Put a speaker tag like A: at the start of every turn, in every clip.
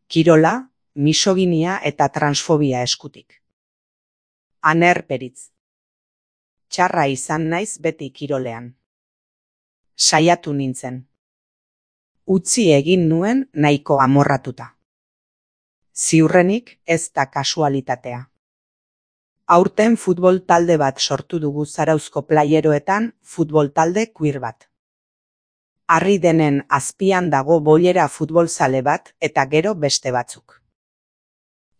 A: kirola, misoginia eta transfobia eskutik. Aner Peritz. Txarra izan naiz beti kirolean. Saiatu nintzen. Utzi egin nuen nahiko amorratuta. Ziurrenik ez da kasualitatea. Aurten futbol talde bat sortu dugu Zarauzko playeroetan, futbol talde queer bat. Harri denen azpian dago boilera futbolzale bat eta gero beste batzuk.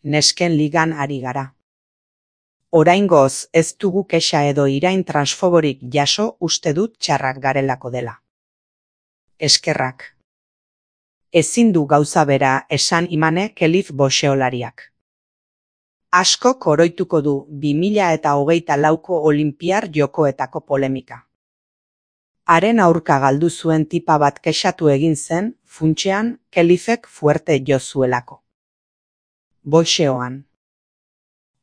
A: Nesken ligan ari gara. Oraingoz ez dugu kexa edo irain transfoborik jaso, uste dut txarrak garelako dela. Eskerrak. Ezin du gauza bera esan Imane Kelif boxeolariak. Askok oroituko du 2024ko Olinpiar Jokoetako polemika. Haren aurka galdu zuen tipa bat kexatu egin zen, funtsean Kelifek fuerte jo zuelako. Boxeoan.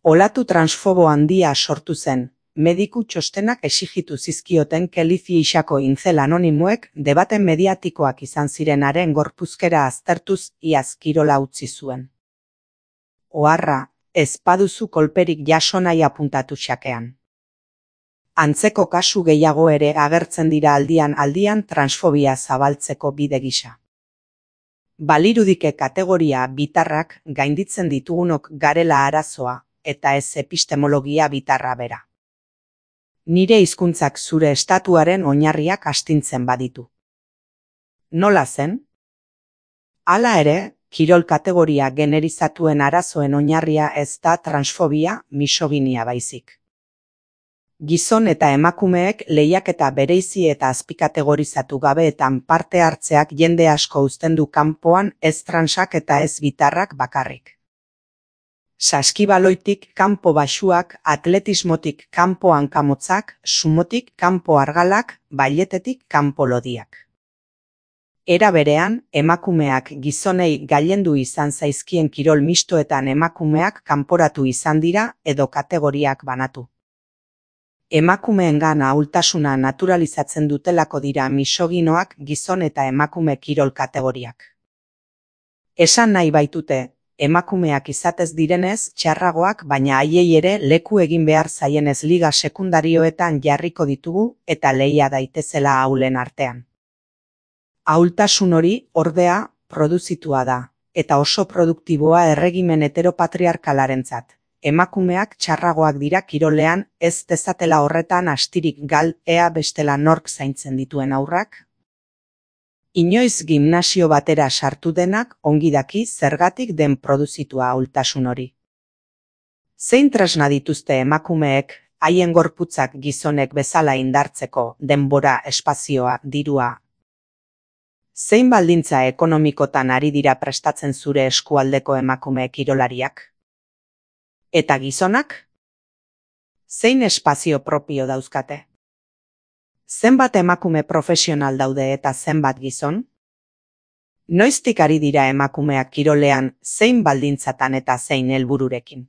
A: Olatu transfobo handia sortu zen, mediku txostenak exigitu zizkioten Kelifi isako intzel anonimoek debate mediatikoak izan ziren haren gorpuzkera aztertuz iaz kirola utzi zuen. Oharra, ez baduzu kolperik jaso nahi apuntatu xakean. Antzeko kasu gehiago ere agertzen dira aldian transfobia zabaltzeko bide gisa. Balirudike kategoria bitarrak gainditzen ditugunok garela arazoa, eta ez epistemologia bitarra bera. Nire hizkuntzak zure estatuaren oinarriak astintzen baditu. Nola zen? Hala ere, kirol kategoria generizatuen arazoen oinarria ez da transfobia, misoginia baizik. Gizon eta emakumeek lehiaketa bereizi eta azpikategorizatu gabeetan parte hartzeak jende asko uzten du kanpoan, ez transak eta ez bitarrak bakarrik. Saskibaloitik kanpo baxuak, atletismotik kanpo hankamotzak, sumotik kanpo argalak, bailetetik kanpo lodiak. Era berean, emakumeak gizonei gailendu izan zaizkien kirol mistoetan emakumeak kanporatu izan dira edo kategoriak banatu. Emakumeengan ahultasuna naturalizatzen dutelako dira misoginoak gizon eta emakume kirol kategoriak. Esan nahi baitute, emakumeak izatez direnez txarragoak baina haiei ere leku egin behar zaienez liga sekundarioetan jarriko ditugu eta lehia daitezela ahulen artean. Ahultasun hori, ordea, produzitua da, eta oso produktiboa erregimen heteropatriarkalarentzat. Emakumeak txarragoak dira kirolean, ez dezatela horretan astirik gal, ea bestela nork zaintzen dituen haurrak? Inoiz gimnasio batera sartu denak ongi daki zergatik den produzitua ahultasun hori. Zein tresna dituzte emakumeek, haien gorputzak gizonek bezala indartzeko denbora, espazioa, dirua? Zein baldintza ekonomikotan ari dira prestatzen zure eskualdeko emakume kirolariak? Eta gizonak? Zein espazio propio dauzkate? Zenbat emakume profesional daude eta zenbat gizon? Noiztik ari dira emakumeak kirolean zein baldintzatan eta zein helbururekin?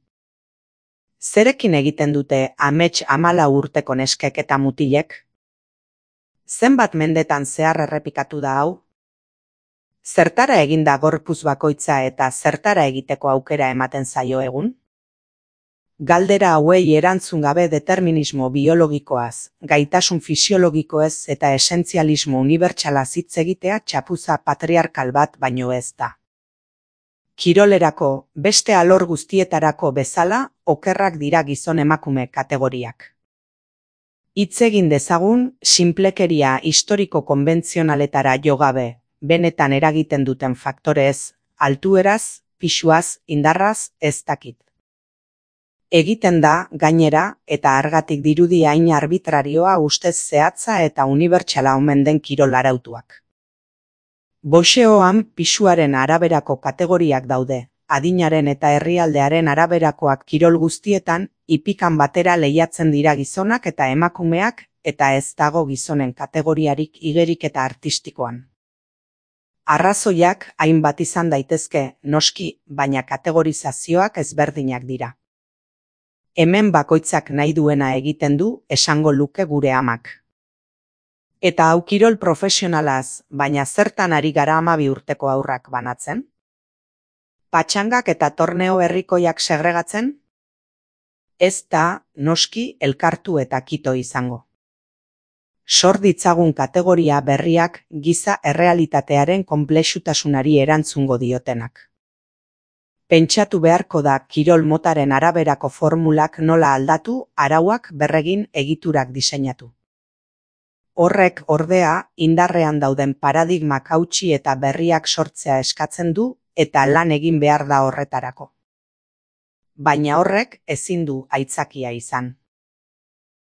A: Zerekin egiten dute amets 14 urteko neskek eta mutilek? Zenbat mendetan zehar errepikatu da hau? Zertara eginda gorpuz bakoitza eta zertara egiteko aukera ematen zaio egun? Galdera hauei erantzun gabe determinismo biologikoaz, gaitasun fisiologikoez eta esentzialismo unibertsalaz hitz egitea txapuza patriarkal bat baino ez da. Kirolerako, beste alor guztietarako bezala, okerrak dira gizon emakume kategoriak. Hitz egin dezagun, sinplekeria historiko konbentzionaletara jo gabe, benetan eragiten duten faktorez, altueraz, pisuaz, indarraz, ez dakit. Egiten da, gainera, eta argatik dirudi hain arbitrarioa ustez zehatza eta unibertsala omen den kirol arautuak. Boxeoan pisuaren araberako kategoriak daude, adinaren eta herrialdearen araberakoak kirol guztietan, ipikan batera lehiatzen dira gizonak eta emakumeak, eta ez dago gizonen kategoriarik igerik eta artistikoan. Arrazoiak hainbat izan daitezke, noski, baina kategorizazioak ezberdinak dira. Hemen bakoitzak nahi duena egiten du, esango luke gure amak. Eta hau kirol profesionalaz, baina zertan ari gara 12 urteko haurrak banatzen? Patxangak eta torneo herrikoiak segregatzen? Ez da, noski, elkartu eta kito izango. Sor ditzagun kategoria berriak giza errealitatearen konplexutasunari erantzungo diotenak. Pentsatu beharko da kirol motaren araberako formulak nola aldatu, arauak berregin, egiturak diseinatu. Horrek, ordea, indarrean dauden paradigmak hautsi eta berriak sortzea eskatzen du eta lan egin behar da horretarako. Baina horrek ezin du aitzakia izan.